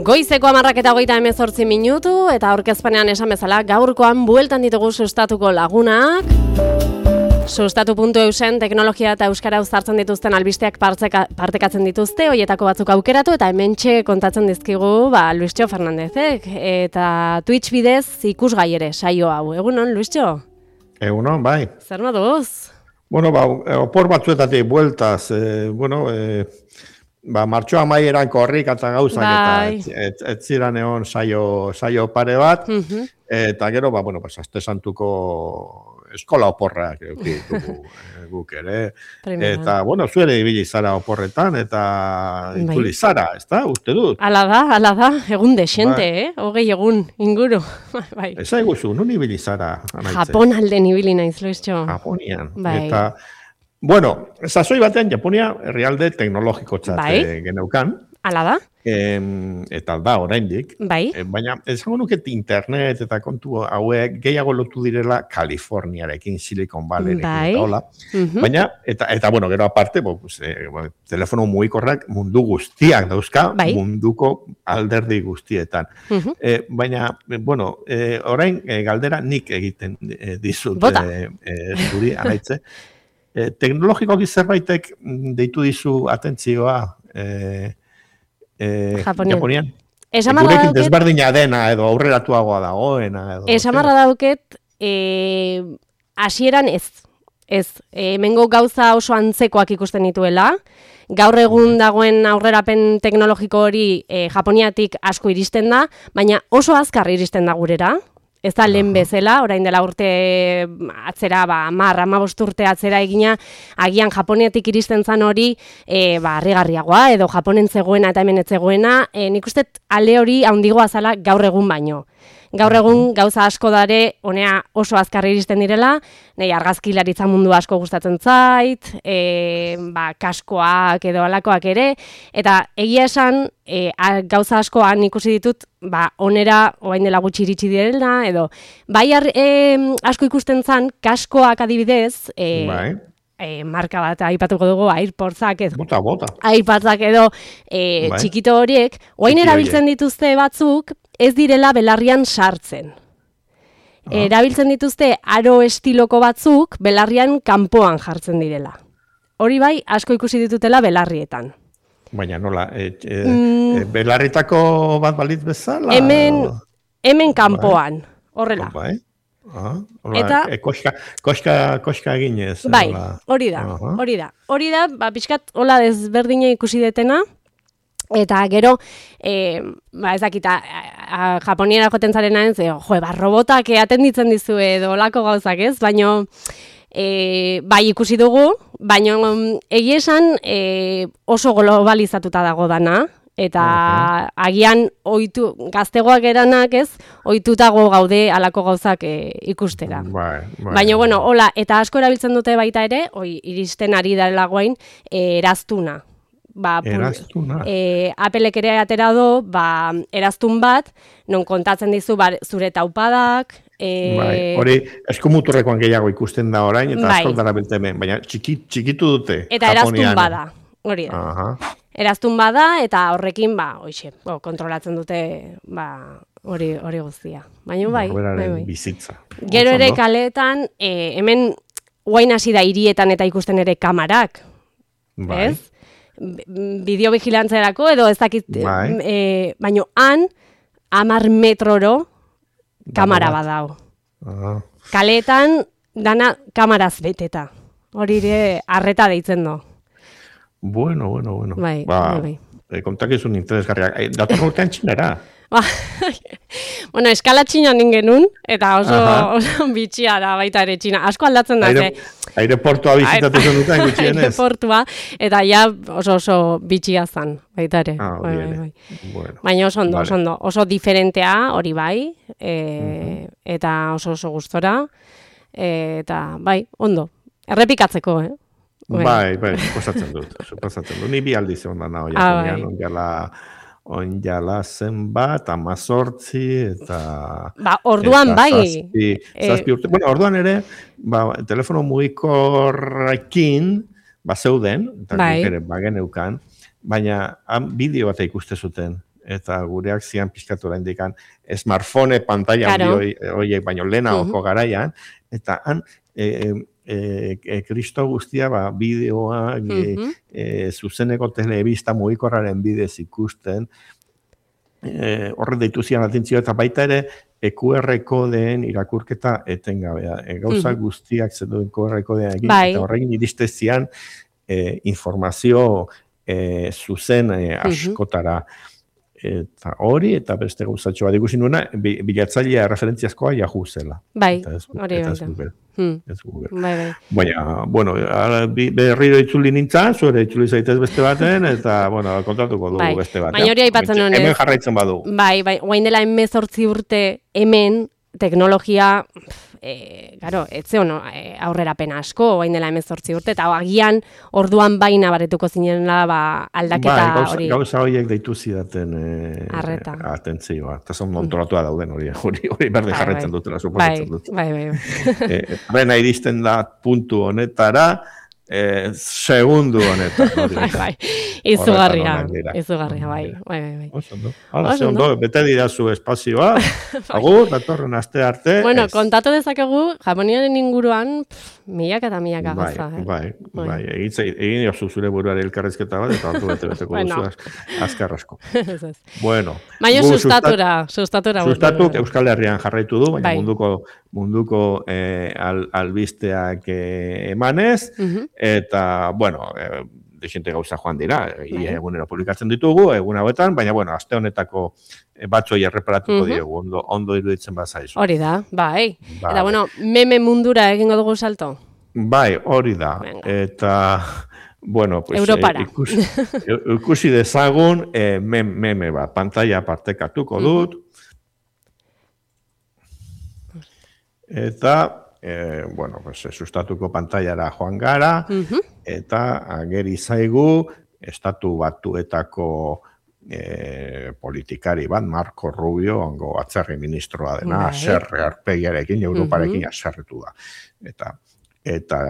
Goizeko 10:28 eta aurkezpenean esan bezala gaurkoan bueltan ditugu sustatuko lagunak. Sustatu.eusen teknologia eta euskara uztartzen dituzten albisteak partekatzen dituzte, hoietako batzuk aukeratu eta hementxe kontatzen dizkigu Luistxo Fernandezek eta Twitch bidez ikusgai ere saio hau. Egunon, Luistxo? Egunon, bai. Zer moduz? Bueno, opor batzuetatik bueltaz, martxoa amaieran korrik eta gauzak eta ez ziren egon saio pare bat, eta gero, aste santuko eskola oporrak ditugu guk ere. Eta, zuere ibili zara oporretan, eta itzuli zara, ez da, uste dut. Ala da, egun desente, hogei egun inguru. Ez aiguzu, nun ibili zara? Japon alden ibili naiz, Luistxo. Japonian, eta... sasoi batean Japonia herrialde teknologiko geneukan. Ala da. Eta da, oraindik. Baina, esango nuket internet eta kontu hauek gehiago lotu direla Kaliforniarekin, Silicon Valleyrekin eta hola. Baina, eta gero aparte, telefono mugikorrak mundu guztiak dauzka, munduko alderdi guztietan. Baina, orain galdera nik egiten dizut zuri, anaitze. Teknologikoki zerbaitek deitu dizu atentzioa Japonian. Gurekin desberdina dena edo aurreratuagoa dagoena. Esamarra dauket, hasieran ez. Hemengo gauza oso antzekoak ikusten dituela. Gaur egun dagoen aurrerapen teknologiko hori Japoniatik asko iristen da, baina oso azkar iristen da gurera. Ez da lehen bezala, orain dela urte atzera, 10-15 urte atzera egina, agian Japoniatik iristen zan hori, harrigarriagoa, edo Japonen zegoena eta hemen ez zegoena, nik uste ale hori handigoa zala gaur egun baino. Gaur egun gauza asko dare, honea oso azkar iristen direla, nahi argazkilaritza mundu asko gustatzen zait, kaskoak edo alakoak ere, eta egia esan gauza askoan ikusi ditut, onera orain dela gutxi iritsi direla, edo bai asko ikusten zan, kaskoak adibidez, marka bat aipatuko dugu, AirPodsak edo. AirPodsak edo txikito horiek, orain erabiltzen dituzte batzuk, ez direla belarrian sartzen. Erabiltzen dituzte aro estiloko batzuk, belarrian kanpoan jartzen direla. Hori bai, asko ikusi ditutela belarrietan. Baina nola, belarritako bat balitz bezala? Hemen kanpoan, horrela. Eta koska eginez. Bai, hori da. Hori da, pixkat hola desberdina ikusi detena, eta gero, ez dakita, Japoniera joten zarena ez, robotak atenditzen dizu edo olako gauzak ez, baina bai ikusi dugu, baina egia esan oso globalizatuta dago dana, eta agian gaztegoak eranak ez, ohitutago gaude alako gauzak ikustera. Baina, hola, eta asko erabiltzen dute baita ere, iristen ari delagoain, eraztuna. Apelek ere atera do, eraztun bat, non kontatzen dizu zure taupadak. Hori eskumuturrekoan gehiago ikusten da orain, eta asko darabiltzen ben, baina txikitu dute. Eta eraztun bada, hori da. Eraztun bada, eta horrekin, kontrolatzen dute, hori guztia. Baina bai. Bizitza. Gero ere kaleetan, hemen guain hasi da hirietan eta ikusten ere kamarak. Ez? Bideovigilantzerako edo ez dakit, baina han 10 metroro kamara badao. Kaleetan dana kamaraz beteta. Hori ere arreta deitzen do. Bueno. Bai. Kontakizun interesgarriak. Dator urtean txinera. Eskala txinan ningenun, eta oso bitxia da baita ere txina. Asko aldatzen da, aireportua bizitatu zen duten gutxienez. Aireportua, eta ja oso bitxia zan, baita ere. Baina oso ondo. Oso diferentea, hori bai, eta oso gustora, eta bai, ondo. Errepikatzeko, Bai, suposatzen dut. Ni bi aldiz egon da naho, Japonian, onjala zenbat, 18, eta... orduan bai. Zazpi urte. Orduan ere, telefono mugikorrekin, zeuden, eta ere bageneukan, baina bideo bat ikuste zuten. eta gureak zian pizkatu da indikan smartphone pantalla horiek baino lehenagoko garaian, eta han kristo guztia bideoa zuzeneko telebista mugikorraren bidez ikusten, horre deitu zian atentzio, eta baita ere QR kodeen irakurketa etengabea. Gauza guztiak zeduen QR kodean egin, eta horrekin iriste zian informazio zuzen askotara. Eta hori, eta beste gauzatxoa digusin nuena, bilatzailea referentziazkoa Yahoo zela. Bai, hori baita. Ez Google. Baina, bueno, berriro itzuli nintzen, zuere itzuli zaitez beste baten, eta, bueno, kontatuko dugu beste baten. Baina hori aipatzen honez. Hemen jarraitzen badu. Bai, guain dela 18 urte hemen, teknologia, etze hono, aurrerapena asko, guain dela 18 urte, eta agian orduan baina baretuko zinela aldaketa hori. Gauza horiek deitu zidaten atentzioa. Eta zon montolatua dauden hori berde jarretzen dutela, suposatzen dut. Bai. Rena iristen da puntu honetara, segundu honetan. Bai, izugarria, bai. Hala, ze ondo, bete dirazu espazioa, agur, datorren aste arte. Bueno, kontatu dezakegu, Japoniaren inguruan, milaka eta milaka gauza. Bai, egin jozu zure buruari elkarrezketa bat, eta hartu bete-beteko duzu azkarrasko. Bueno. Baina sustatura. Sustatuk Euskal Herrian jarraitu du, baina munduko albisteak emanez, eta, bueno, desente gauza joan dira, egunero publikatzen ditugu, egun hauetan, baina, bueno, aste honetako batzoi erreparatuko diegu, ondo iruditzen bazaizu. Hori da, bai. Eta, bueno, meme mundura egingo dugu salto? Bai, hori da. Eta, bueno, pues, ikusi dezagun meme bat, pantalla partekatuko dut, eta, bueno, pues, sustatuko pantallara joan gara, eta ageri zaigu, estatu batuetako politikari bat, Marco Rubio, ongo atzerri ministroa dena, aserre arpegiarekin, Europarekin aserretu da. Eta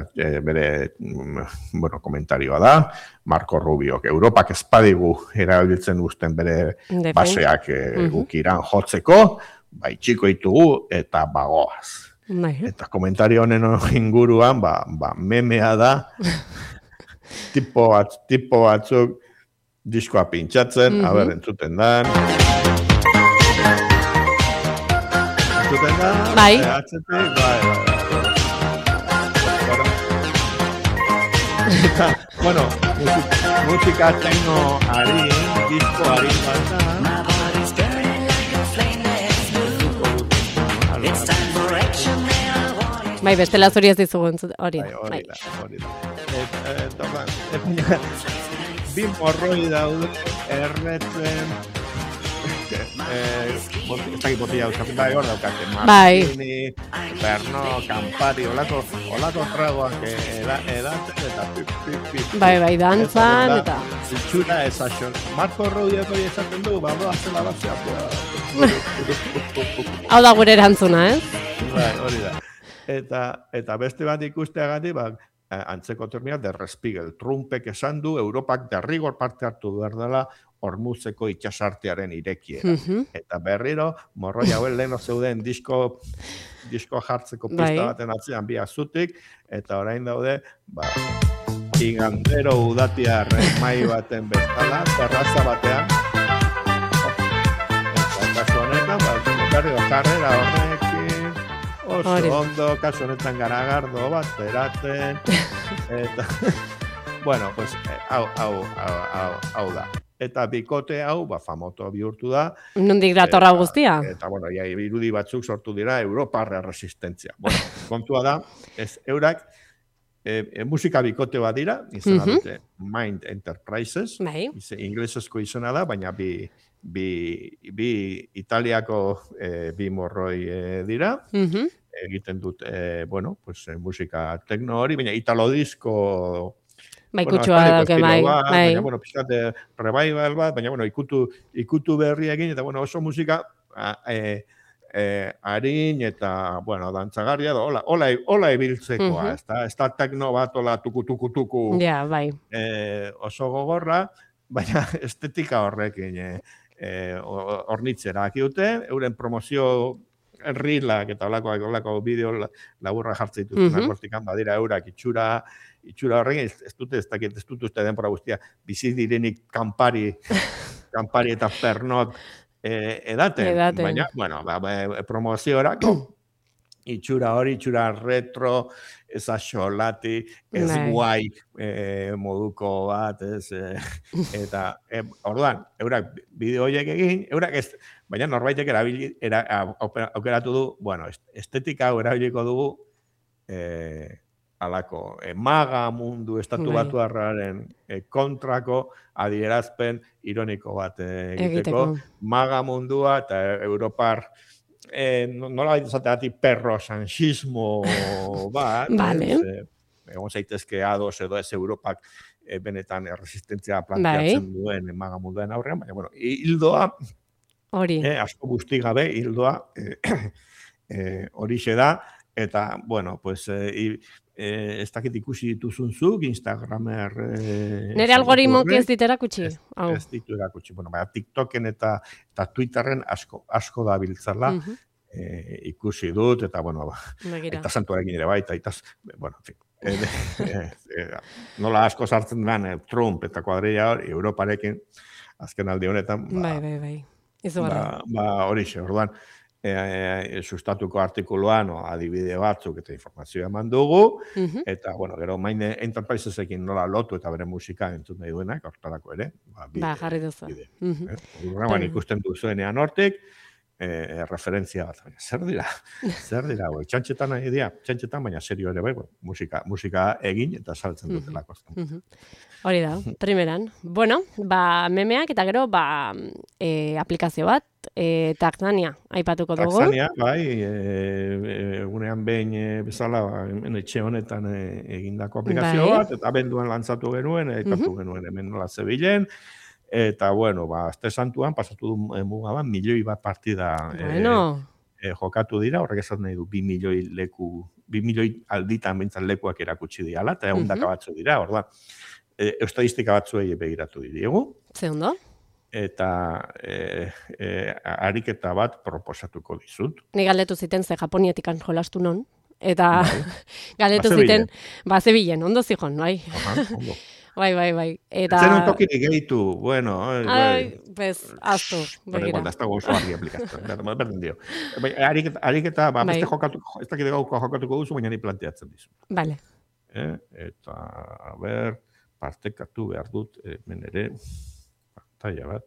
bere, bueno, komentarioa da, Marco Rubio, Europak espadigu erabiltzen guzten bere baseak gukiran jotzeko, bai txiko ditugu eta bagoaz. Eta komentario honen inguruan, memea da, tipo batzuk diskoa pintxatzen, haber, entzuten dan. Entzuten dan, atzetik, bai. Eta, bueno, musika tengo harin, disko harin bat da. Bai, bestela zuri ez dizugu hori da. Hori da. Bi morroi daude erretzen, ez dakit botilla euskatzen, bai, hor daukate, Martini, Berno, Campari, olako tragoak edatzen, eta pip. Bai, dantzan, eta... Itxura esaxon. Marco Rubiok hori esaten du, zela batzea. Hau da gure erantzuna, Bai, hori da. Eta beste bat ikusteagatik, antzeko termina, derrespiegel. Trumpek esan du, Europak derrigor parte hartu behar dela Hormuzeko itxasartearen irekiera. Eta berriro, morroi hauen leheno zeuden disko jartzeko pista baten atzean bi azutik, eta orain daude, igandero udatiarren mai baten bezala, terraza batean. Eta kasu honetan, jarrera horrekin, oso ondo, kasu honetan garagardo bat, beraten, eta, bueno, pues, hau da. Eta bikote hau, famoto bihurtu da. Nondik datorra guztia? Eta, bueno, irudi batzuk sortu dira, Europarra resistentzia. Bueno, kontua da, eurak, musika bikote bat dira, izena dute Mind Enterprises, inglesezko izena da, baina bi italiako bi morroi dira, egiten dut, bueno, pues, musika tekno hori, baina italodisko bai, kutsua dauke, bai. Baina, bueno, pixkate revival bat, baina, bueno, ikutu berri egin, eta, bueno, oso musika harin eta, bueno, dantzagarria, hola ebiltzekoa, ez da tekno bat, hola tuku, ja, bai. Oso gogorra, baina estetika horrekin hornitzera dute, euren promozio rilak eta olako bideo laburra jartzen dituztenak hortikan, badira eurak itxura horrekin, ez dut uste denbora guztia, bizi direnik kanpari eta pernot edaten, baina, bueno, promoziorako, itxura retro, ez axolati, ez guai moduko bat, eta, orduan, eurak bideo horiek egin, eurak ez, baina norbaitek aukeratu du, bueno, estetika hau erabiliko dugu, alako, maga mundu estatu batuarraren kontrako adierazpen ironiko bat egiteko, maga mundua eta Europar nola baita zateatik perro-sanchismo bat, egon zaitezke ados edo ez Europak benetan resistentzia planteatzen duen maga munduaren aurrean, baina, bueno, hildoa, asko guzti gabe, hildoa horixe da, eta, bueno, pues, ez dakit ikusi dituzunzuk, Instagramer... Nere algoritmoak ez dit erakutsi? Ez ditu erakutsi. Bueno, TikToken eta Twitterren asko da biltzala ikusi dut, eta, bueno, eta santuarekin ere baita, eta, bueno, en fin, nola asko sartzen den Trump eta kuadrilla hori, Europarekin, azken aldi honetan, horixe, orduan, sustatuko artikuluan adibide batzuk eta informazioa eman dugu, eta, bueno, gero Main Enterprisesekin nola lotu eta bere musika entzun nahi duenak, hortarako ere. Jarri duzu. Ikusten duzuenean hortik, referentzia bat. Zer dira, txantxetan nahi dira, baina serio ere bai, musika egin eta saltzen dutelako. Hori da, primeran. Bueno, memeak eta gero aplikazio bat, Taxania, aipatuko dugu. Taxania, bai, egunean behin bezala, etxe honetan egindako aplikazio bat, eta abenduan lantzatu genuen, aipatu genuen hemen nola zebilen, eta, bueno, azte santuan, pasatu du mugaban, 1 milioi bat partida jokatu dira, horrek esan nahi du 2 milioi leku, 2 milioi alditan bintzan lekuak erakutsi diala, eta ehundaka batzu dira, orduan, estadistika batzuei begiratu diegu. Ze ondo? Eta ariketa bat proposatuko dizut. Ni galdetu ziten ze Japonietikan jolastu non, eta galdetu ziten, zebilen, ondo zihon, bai. Ondo. Bai. Eta... Zer un tokinik gehitu, bueno... aztu, begira. Ez dago oso argi aplikaztu, berdin dio. Ariketa, beste ez dakit gauko jokatuko duzu, baina ni planteatzen dizu. Vale. Eta, partekatu behar dut, hemen ere... Bat.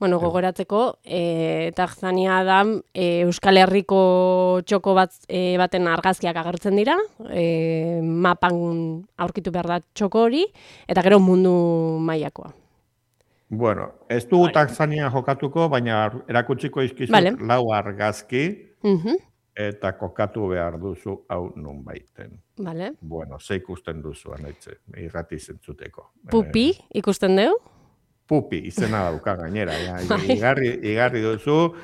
Bueno, gogoratzeko, Taxania da Euskal Herriko txoko baten argazkiak agertzen dira, mapan aurkitu behar da txoko hori, eta gero mundu mailakoa. Bueno, ez dugu Taxania jokatuko, baina erakutsiko izkizut 4 argazki, eta kokatu behar duzu hau nun baiten. Vale. Bueno, ze ikusten duzu, anaitze, irrati zentzuteko. Pupi, ikusten dugu? Pupi, izena dauka gainera. Igarri duzu,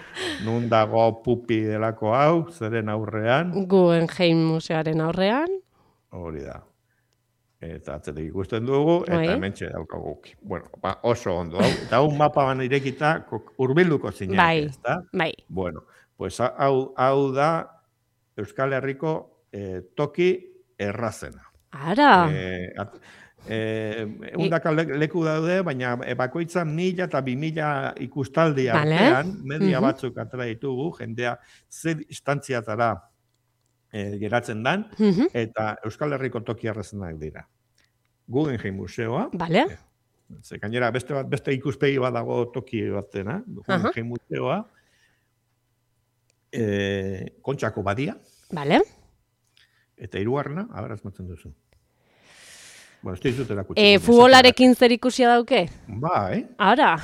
nun dago Pupi delako hau, zeren aurrean. Guggenheim museoaren aurrean. Hori da. Eta atzetik ikusten dugu, eta hementxe daukaguk. Bueno, oso ondo. Eta hau mapa ban irekita, urbilduko zineak, ez da? Bai. Bueno, pues hau da Euskal Herriko toki errazena. Ara! Undaka leku daude, baina bakoitzan 1000 eta 2000 ikustaldi artean, media batzuk atera ditugu, jendea ze instantziatara geratzen dan, eta Euskal Herriko toki errazenak dira. Guggenheim museoa. Vale. Ze gainera beste ikuspegi bat dago toki batena, Guggenheim museoa. Kontxako badia. Vale. Eta hirugarrena, azmatzen duzu. Bueno, ez dizut erakutsi. Futbolarekin zer ikusia dauke? Bai. Ara.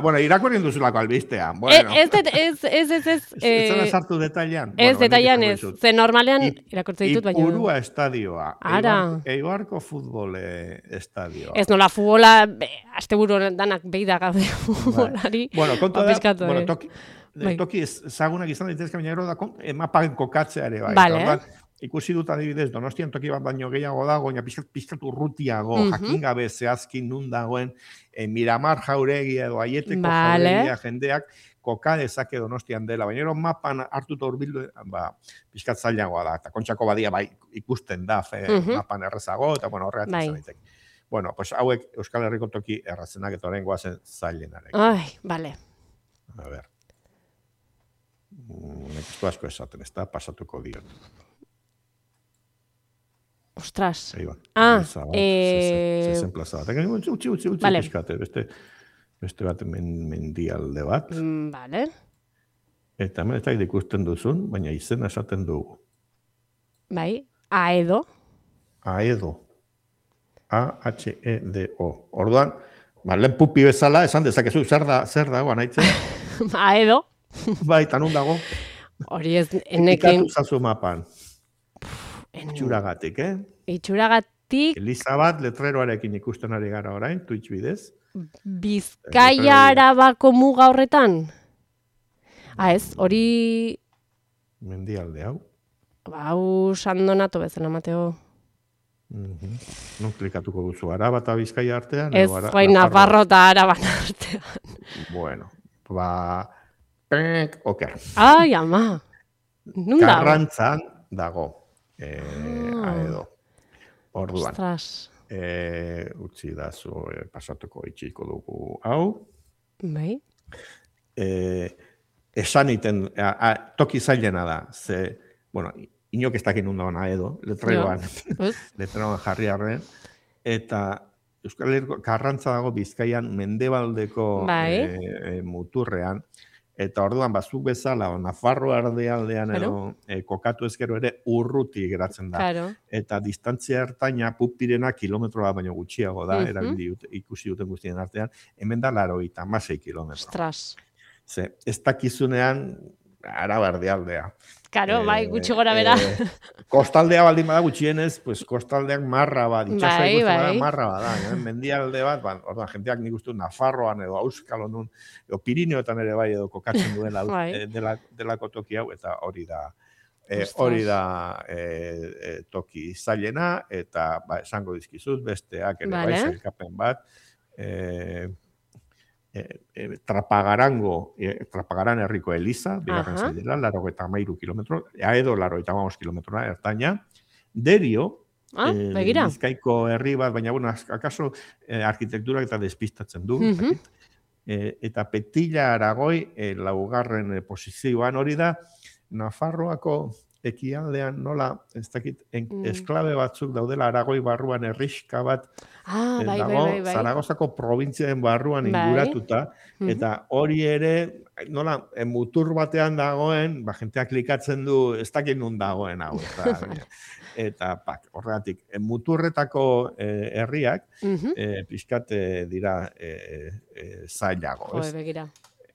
Bueno, irakurrien duzulako albistea. Bueno. Ez. Ez sartu detailean. Ez detailean ez. Ze normalean irakurtzen ditut baina. Ipurua estadioa. Ara. Eibarko futbol estadioa. Ez nola futbola, asteburu danak behi da gaude futbolari. Bueno, kontu da, toki ezagunak izan daitezke, baina gero da mapan kokatzeare bai. Vale. ikusi dut adibidez, Donostian toki bat baino gehiago dago, baina pizkatu urrutiago, jakin gabe zehazkin nun dagoen, Miramar Jauregi edo Aieteko Jauregia jendeak, koka dezake Donostian dela, baina ero mapan hartuta urbildu, pizkat zailagoa da, eta Kontxako Badia bai ikusten da, mapan errezago, eta bueno, horregatik izan ditek. Bueno, pues hauek Euskal Herriko toki errazenak eta horrein guazen zailenarek. Ai, bale. A ber. Nekiztu asko esaten, ez da, pasatuko diot. Ostras. Zezen plaza bat. Utsi, pixkate, beste bat mendialde bat. Vale. Eta hemen ez da ikusten duzun, baina izena esaten dugu. Bai, Aedo. Aedo. A-H-E-D-O. Orduan, lehen pupi bezala, esan dezakezu, zer dago, anaitzen? Aedo. Bai, tanun dago. Hori ez, enekin... Ikatu zazu mapan. Itxuragatik, Itxuragatik... Elizabat letreroarekin ikusten ari gara orain, Twitch bidez. Bizkaia Arabako muga horretan? Ez, hori... Mendialde hau. Hau Sandonato bezala, Mateo. Non klikatuko duzu, Araba eta Bizkaia artean? Ez, Nafarro eta Araban artean. Bueno, oker. Ai, ama. Karrantzan dago. Aedo. Orduan. Ostras. Utsi da zu pasatuko itxiko dugu hau. Bai. Esan iten, toki zailena da, ze, bueno, inok ez dakin undoan Aedo, letreroan jarri arren, eta Euskal Herriko Karrantza dago Bizkaian mendebaldeko muturrean, eta orduan bazuk bezala, Nafarro aldean edo kokatu ezkero ere urruti geratzen da. Eta distantzia ertaina pupirena kilometroa baino gutxiago da, ikusi duten guztien artean, hemen da 96 kilometro. Ostras. Ze, ez dakizunean, Arabarde aldea. Karo, bai, gutxi gora bera. Kostaldea baldin bada gutxienez, pues kostaldeak marra bat, itxasua ikusten bada marra bat, mendialde bat, orduan, jenteak nik uste Nafarroan edo Euskalonun, edo Pirineoetan ere bai edo kokatzen duela delako toki hau, eta hori da toki zailena, eta esango dizkizuz, besteak ere bai, zailkapen bat, Trapagaran herriko Eliza, bigarren zailera, 93 kilometro, Aedo 95 kilometroa ertaina, Derio, Bizkaiko herri bat, baina, bueno, akaso arkitekturak eta despistatzen du, eta Petilla Aragoi, laugarren posizioan hori da, Nafarroako ekialdean nola, ez dakit, esklabe batzuk daudela Aragoi barruan herriska bat dago, Zaragozako probintziaren barruan inguratuta, eta hori ere, nola, mutur batean dagoen, jenteak klikatzen du, ez dakit nun dagoen hau, eta horregatik, muturretako herriak, pixkat dira zailago, ez? Begira.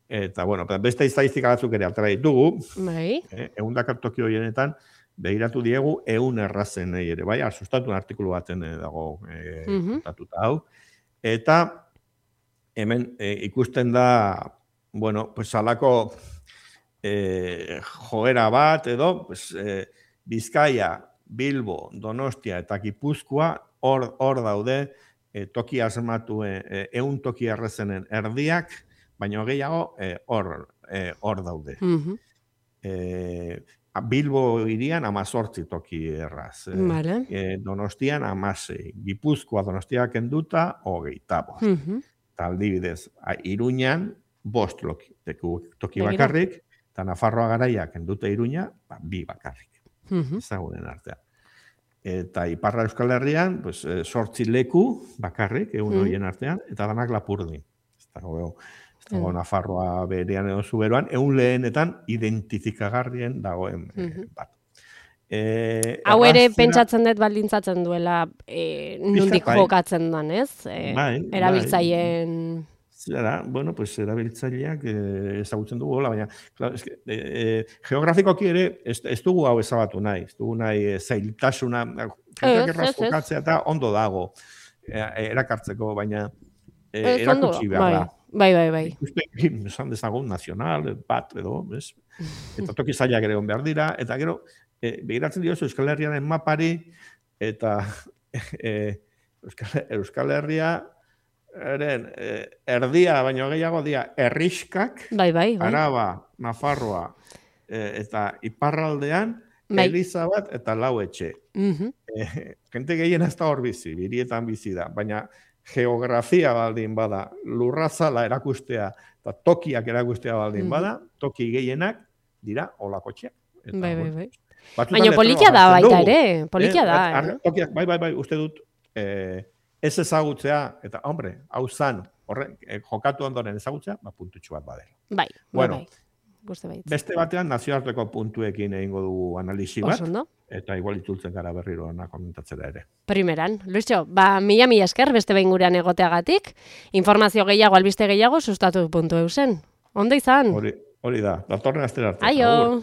Eta, bueno, beste estadistika batzuk ere altera ditugu, 100 toki horienetan, behiratu diegu 100 errazenei ere, bai, sustatu artikulu baten dago kontatuta hau. Eta, hemen ikusten da, bueno, pues alako joera bat edo, pues, Bizkaia, Bilbo, Donostia eta Gipuzkoa hor daude toki asmatu 100 toki errazenen erdiak, baina gehiago hor daude. Bilbo irian 18 toki erraz. Donostian 16. Gipuzkoa Donostiak kenduta 25. Eta aldibidez, Iruñan 5 toki bakarrik, eta Nafarroa Garaiak kenduta Iruña 2 bakarrik. Ezagunen artean. Eta Iparra Euskal Herrian 8 leku bakarrik, 100 horien artean, eta danak Lapurdin. Dago Nafarroa berean edo zuberoan, 100 lehenetan identifikagarrien dagoen bat. Hau ere pentsatzen dut baldintzatzen duela nondik jokatzen den, ez? Erabiltzaileen... Zera, bueno, pues erabiltzaileak ezagutzen dugu, baina geografikoki ere ez dugu hau ezabatu nahi, ez dugu nahi zailtasuna, jokatzea eta ondo dago erakartzeko, baina erakutsi behar da. Bai. Esan dezagun nazional, bat edo, eta toki zailak ere behar dira, eta gero begiratzen diozu Euskal Herriaren mapari, eta Euskal Herria erdia, baino gehiago dia, herriskak, Araba, Nafarroa, eta iparraldean, Eliza bat eta lau etxe. Gente gehien ez da hor bizi, birietan bizi da, baina geografia baldin bada, lurrazala erakustea, eta tokiak erakustea baldin bada, toki gehienak dira olakotxeak. Bai. Baina polikia da baita ere, polikia da. Tokiak, bai, uste dut, ez ezagutzea, eta hombre, hau zan, jokatu ondoren ezagutzea, puntutxu bat badela. Bai. Beste batean nazioarteko puntuekin egingo dugu analisi bat, eta igual itzultzen gara berriro komentatzera ere. Primeran, Luisio, mila esker beste behin gurean egoteagatik, informazio gehiago, albiste gehiago, sustatu.eusen. Ondo izan? Hori da, datorren astera arte. Aio!